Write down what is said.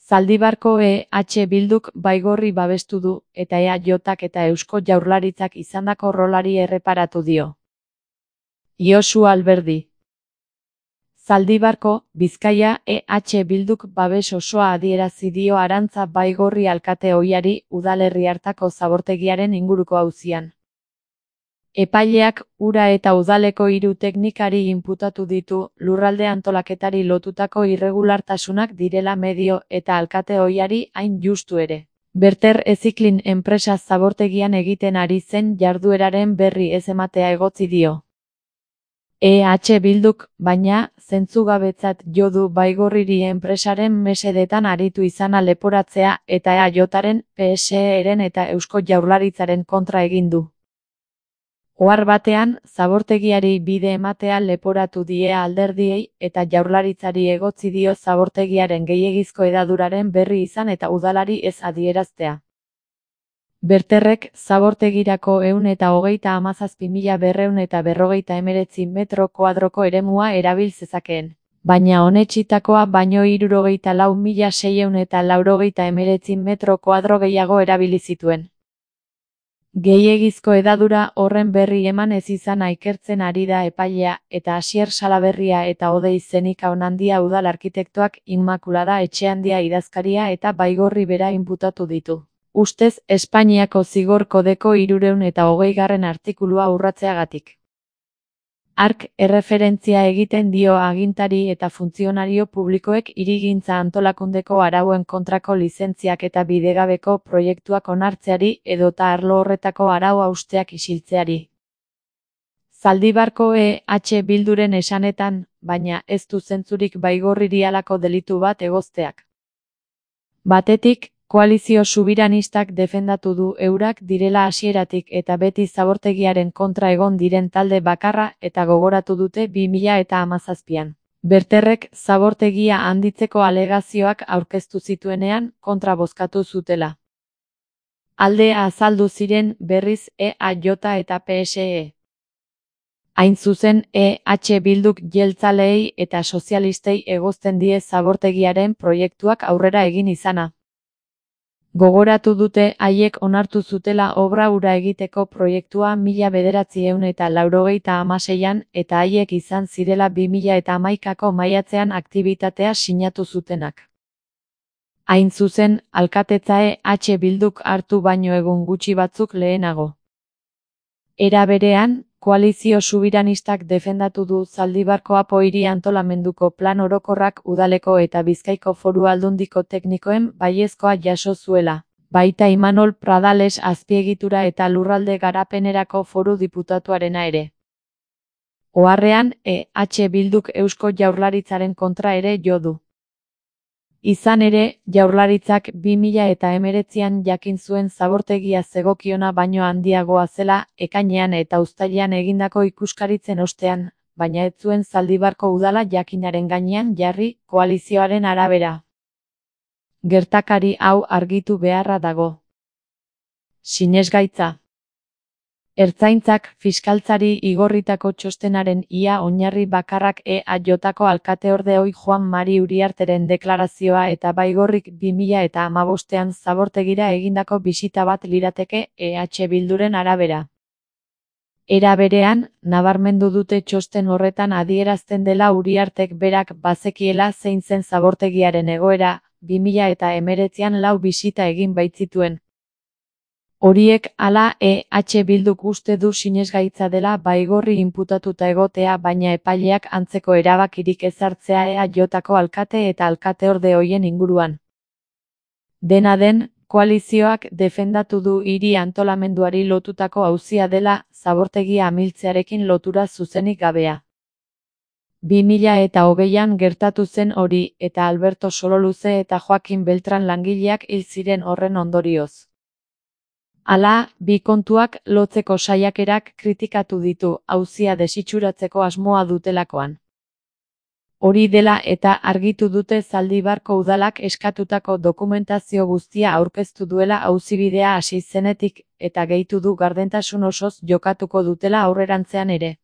Zaldibarko EH Bilduk Baigorri babestu du, eta EAJak eta Eusko Jaurlaritzak izandako rolari erreparatu dio. Josu Alberdi. Zaldibarko, Bizkaia, EH Bilduk babes osoa adierazi dio Arantza Baigorri alkate ohiari udalerri hartako zabortegiaren inguruko auzian. Epaileak ura eta udaleko 3 teknikari inputatu ditu, lurralde antolaketari lotutako irregulartasunak direla medio eta alkate ohiari hain justu ere. Berter Eziklin enpresa zabortegian egiten ari zen jardueraren berri ez ematea egotzi dio. EH Bilduk, baina, zentzugabetzat jo du Baigorriri enpresaren mesedetan aritu izana leporatzea eta EAJaren, PSE-ren eta Eusko Jaurlaritzaren kontra egin du. Ohar batean, zabortegiari bide ematea leporatu die alderdiei eta Jaurlaritzari egotzi dio zabortegiaren gehiegizko hedaduraren berri izan eta udalari ez adieraztea. Berterrek, zabortegirako 137.249 metro kuadroko eremua erabil zezakeen, baina onetsitakoa baino 64.689 metro kuadro gehiago erabili zituen. Gehiegizko hedadura horren berri eman ez izana ikertzen ari da epailea eta Asier Salaberria eta Odei Zenikaonandia udal arkitektoak Inmakulada Etxeandia idazkaria eta Baigorri bera inputatu ditu. Ustez, Espainiako Zigor Kodeko 320. artikulua urratzeagatik. Hark erreferentzia egiten dio agintari eta funtzionario publikoek hirigintza antolakundeko arauen kontrako lizentziak eta bidegabeko proiektuak onartzeari edota arlo horretako arau hausteak isiltzeari. Zaldibarko EH Bilduren esanetan, baina ez du zentzurik Baigorriri halako delitu bat egozteak. Batetik, koalizio subiranistak defendatu du eurak direla hasieratik eta beti zabortegiaren kontra egon diren talde bakarra eta gogoratu dute 2017an. Berterrek zabortegia handitzeko alegazioak aurkeztu zituenean kontra bozkatu zutela. Aldea azaldu ziren berriz EAJ eta PSE. Hain zuzen EH Bilduk jeltzaleei eta sozialistei egozten die zabortegiaren proiektuak aurrera egin izana. Gogoratu dute haiek onartu zutela obra hura egiteko proiektua 1996an eta haiek izan zirela 2011ko maiatzean aktibitatea sinatu zutenak. Hain zuzen, alkatetza EH Bilduk hartu baino egun gutxi batzuk lehenago. Era berean, koalizio subiranistak defendatu du Zaldibarko Apo hiri antolamenduko plan orokorrak udaleko eta Bizkaiko Foru Aldundiko teknikoen baiezkoa jaso zuela, baita Imanol Pradales azpiegitura eta lurralde garapenerako foru diputatuarena ere. Oharrean, EH Bilduk Eusko Jaurlaritzaren kontra ere jo du. Izan ere, Jaurlaritzak 2019an jakin zuen zabortegia zegokiona baino handiagoa zela ekainean eta uztailean egindako ikuskaritzen ostean, baina ez zuen Zaldibarko udala jakinaren gainean jarri koalizioaren arabera. Gertakari hau argitu beharra dago. Sinesgaitza. Ertzaintzak fiskaltzari igorritako txostenaren ia oinarri bakarrak EAJko alkateorde ohi Juan Mari Uriarteren deklarazioa eta Baigorrik 2015an zabortegira egindako bisita bat lirateke EH Bilduren arabera. Era berean, nabarmendu dute txosten horretan adierazten dela Uriartek berak bazekiela zein zen zabortegiaren egoera, 2019an 4 bisita egin baitzituen. Horiek hala EH Bilduk uste du sinesgaitza dela Baigorri inputatuta egotea baina epaileak antzeko erabakirik ez hartzea EAJko alkate eta alkateorde hoien inguruan. Dena den, koalizioak defendatu du hiri antolamenduari lotutako auzia dela zabortegia amiltzearekin lotura zuzenik gabea. 2020an gertatu zen hori eta Alberto Sololuze eta Joakin Beltran langileak hil ziren horren ondorioz. Hala, bi kontuak lotzeko saiakerak kritikatu ditu auzia desitxuratzeko asmoa dutelakoan. Hori dela eta argitu dute Zaldibarko udalak eskatutako dokumentazio guztia aurkeztu duela auzibidea hasi zenetik eta gehitu du gardentasun osoz jokatuko dutela aurrerantzean ere.